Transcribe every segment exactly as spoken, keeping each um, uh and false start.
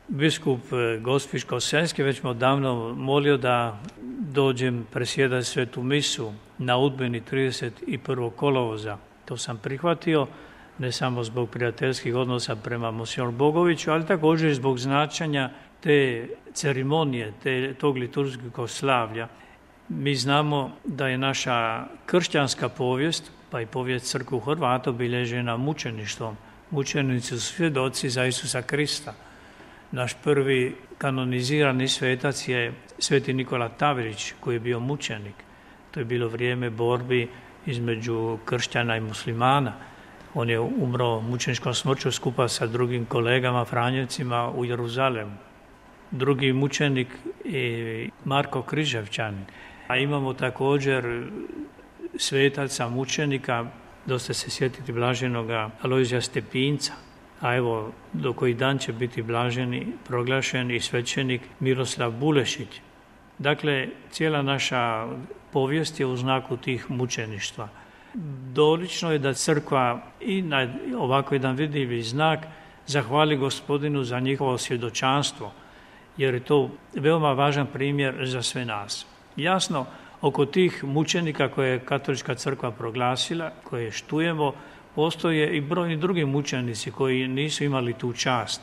biskup Gospić-Kosenski već me odavno molio da dođem presjedati svetu misu na Udbini trideset prvog kolovoza. To sam prihvatio, ne samo zbog prijateljskih odnosa prema monsignor Bogoviću, ali također i zbog značenja te ceremonije, te, tog liturgijskog slavlja. Mi znamo da je naša kršćanska povijest, pa i povijest crkve Hrvata, obilježena mučeništvom. Mučenici su svjedoci za Isusa Krista. Naš prvi kanonizirani svetac je sveti Nikola Tavrić, koji je bio mučenik. To je bilo vrijeme borbi između kršćana i muslimana. On je umro mučeničkom smrću skupa sa drugim kolegama Franjevcima u Jeruzalemu. Drugi mučenik je Marko Križevčanin. A imamo također svetaca mučenika, dosta se sjetiti blaženoga Alojzija Stepinca, a evo do koji dan će biti blaženi, proglašen i svećenik Miroslav Bulešić. Dakle, cijela naša povijest je u znaku tih mučeništva. Dolično je da crkva i na ovako jedan vidljivi znak zahvali Gospodinu za njihovo svjedočanstvo, jer je to veoma važan primjer za sve nas. Jasno, oko tih mučenika koje je katolička crkva proglasila, koje štujemo, postoje i brojni drugi mučenici koji nisu imali tu čast.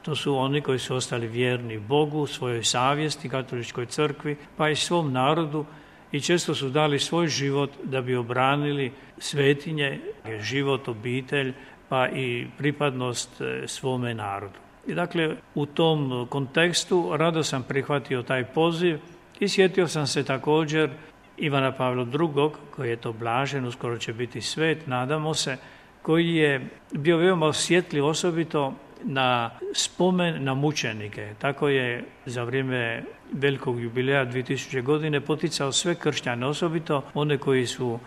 To su oni koji su ostali vjerni Bogu, svojoj savjesti, katoličkoj crkvi, pa i svom narodu i često su dali svoj život da bi obranili svetinje, život, obitelj, pa i pripadnost svome narodu. I dakle, u tom kontekstu rado sam prihvatio taj poziv i sjetio sam se također Ivana Pavla drugog, koji je to blažen, uskoro će biti svet, nadamo se, koji je bio veoma osjetljiv osobito na spomen na mučenike. Tako je za vrijeme velikog jubileja dvije tisuće godine poticao sve kršćane, osobito one koji su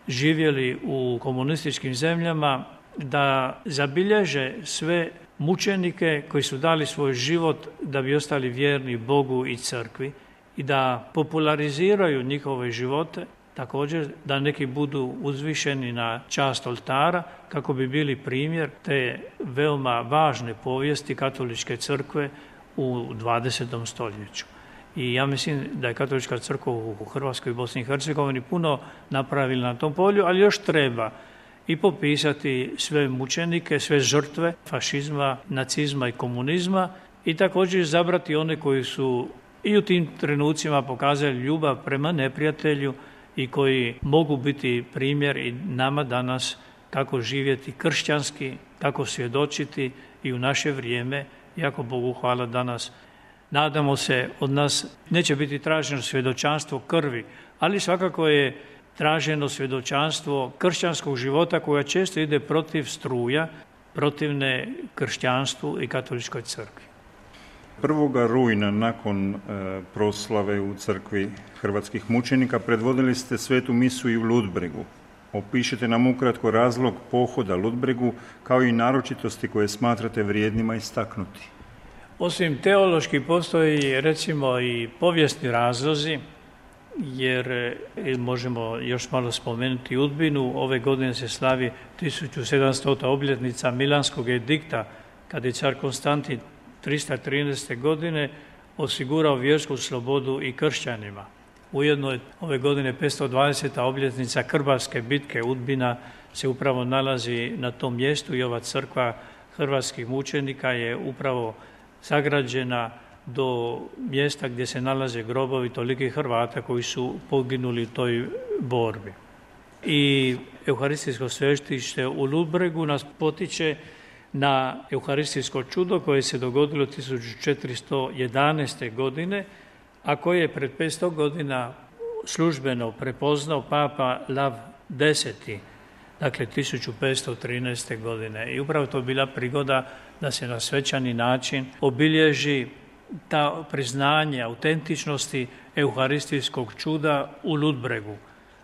živjeli u komunističkim zemljama, da zabilježe sve mučenike koji su dali svoj život da bi ostali vjerni Bogu i crkvi i da populariziraju njihove živote, također da neki budu uzvišeni na čast oltara kako bi bili primjer te veoma važne povijesti katoličke crkve u dvadesetom stoljeću. I ja mislim da je katolička crkva u Hrvatskoj i Bosni i Hercegovini puno napravila na tom polju, ali još treba i popisati sve mučenike, sve žrtve fašizma, nacizma i komunizma i također izabrati one koji su i u tim trenucima pokazali ljubav prema neprijatelju i koji mogu biti primjer i nama danas kako živjeti kršćanski, kako svjedočiti i u naše vrijeme, jako Bogu hvala danas. Nadamo se, od nas neće biti traženo svjedočanstvo krvi, ali svakako je traženo svjedočanstvo kršćanskog života koja često ide protiv struja, protivne kršćanstvu i katoličkoj crkvi. Prvoga rujna nakon e, proslave u crkvi hrvatskih mučenika predvodili ste svetu misu i u Ludbregu. Opišite nam ukratko razlog pohoda Ludbregu kao i naročitosti koje smatrate vrijednima istaknuti. Osim teološki postoji recimo i povijesni razlozi, jer možemo još malo spomenuti Udbinu. Ove godine se slavi tisuću sedamstota obljetnica Milanskog edikta, kada je car Konstantin trista trinaeste. godine osigurao vjersku slobodu i kršćanima. Ujedno je ove godine petsto dvadeseta obljetnica Krbarske bitke. Udbina se upravo nalazi na tom mjestu i ova crkva hrvatskih mučenika je upravo sagrađena do mjesta gdje se nalaze grobovi tolikih Hrvata koji su poginuli u toj borbi. I Euharistijsko svetište u Ludbregu nas potiče na euharistijsko čudo koje se dogodilo tisuću četiristo jedanaeste. godine, a koje je pred petsto godina službeno prepoznao papa Lav deseti. Dakle, tisuću petsto trinaeste. godine. I upravo to bila prigoda da se na svečani način obilježi ta priznanje autentičnosti euharistijskog čuda u Ludbregu.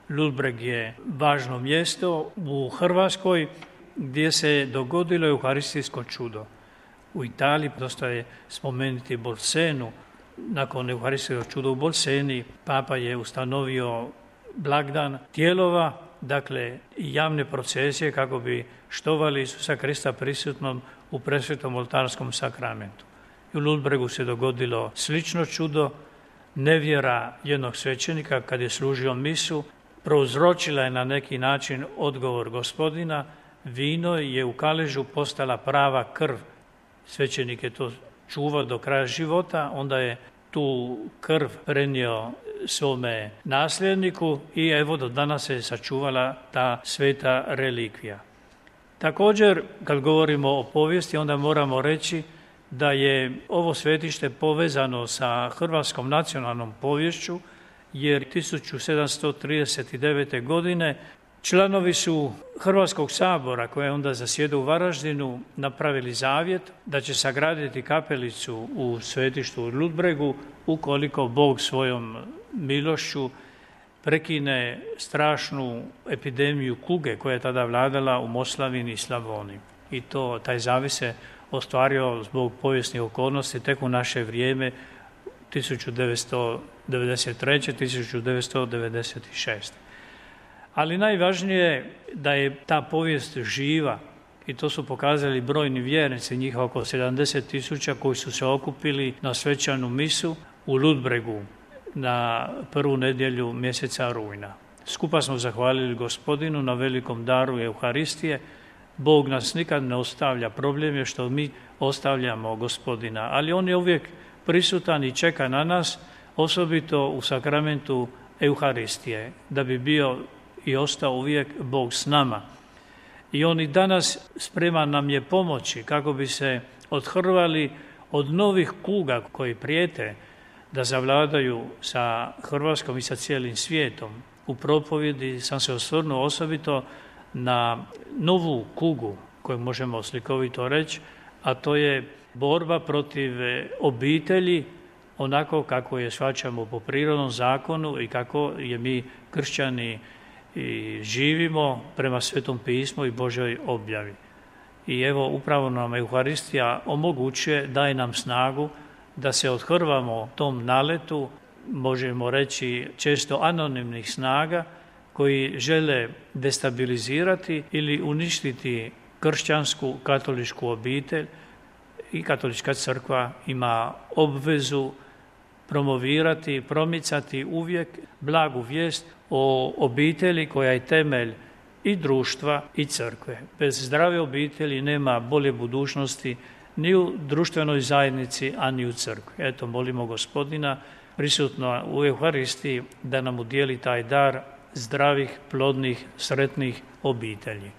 Ludbreg je važno mjesto u Hrvatskoj gdje se dogodilo euharistijsko čudo. U Italiji dosta je spomenuti Bolsenu. Nakon euharistijskog čuda u Bolseni papa je ustanovio blagdan tijelova, dakle javne procesije kako bi štovali Isusa Krista prisutnom u presvetom oltarskom sakramentu. I u Ludbregu se dogodilo slično čudo. Nevjera jednog svećenika kad je služio misu prouzročila je na neki način odgovor Gospodina. Vino je u kaležu postala prava krv. Svećenik je to čuvao do kraja života, onda je tu krv prenio svome nasljedniku i evo do danas se sačuvala ta sveta relikvija. Također, kad govorimo o povijesti, onda moramo reći da je ovo svetište povezano sa hrvatskom nacionalnom poviješću, jer tisuću sedamsto trideset devete. godine članovi su Hrvatskog sabora, koji je onda zasjedao u Varaždinu, napravili zavjet da će sagraditi kapelicu u svetištu u Ludbregu ukoliko Bog svojom milošću prekine strašnu epidemiju kuge koja je tada vladala u Moslavini i Slavoniji. I to, taj zavjet se ostvario zbog povijesnih okolnosti tek u naše vrijeme tisuću devetsto devedeset treće. tisuću devetsto devedeset šeste. Ali najvažnije je da je ta povijest živa i to su pokazali brojni vjernici, njih oko sedamdeset tisuća koji su se okupili na svečanu misu u Ludbregu na prvu nedjelju mjeseca rujna. Skupa smo zahvalili Gospodinu na velikom daru Euharistije. Bog nas nikad ne ostavlja, problem je što mi ostavljamo Gospodina, ali on je uvijek prisutan i čeka na nas, osobito u sakramentu Euharistije, da bi bio i ostao uvijek Bog s nama. I on i danas spreman nam je pomoći kako bi se odhrvali od novih kuga koji prijete da zavladaju sa Hrvatskom i sa cijelim svijetom. U propovjedi sam se osvrnuo osobito na novu kugu koju možemo slikovito reći, a to je borba protiv obitelji onako kako je shvaćamo po prirodnom zakonu i kako je mi kršćani i živimo prema Svetom pismu i Božoj objavi. I evo upravo nam Euharistija omogućuje, daje nam snagu da se odhrvamo tom naletu, možemo reći često anonimnih snaga koji žele destabilizirati ili uništiti kršćansku katoličku obitelj. I katolička crkva ima obvezu promovirati, promicati uvijek blagu vijest o obitelji koja je temelj i društva i crkve. Bez zdrave obitelji nema bolje budućnosti ni u društvenoj zajednici, a ni u crkvi. Eto, molimo Gospodina prisutno u Euharistiji da nam udijeli taj dar zdravih, plodnih, sretnih obitelji.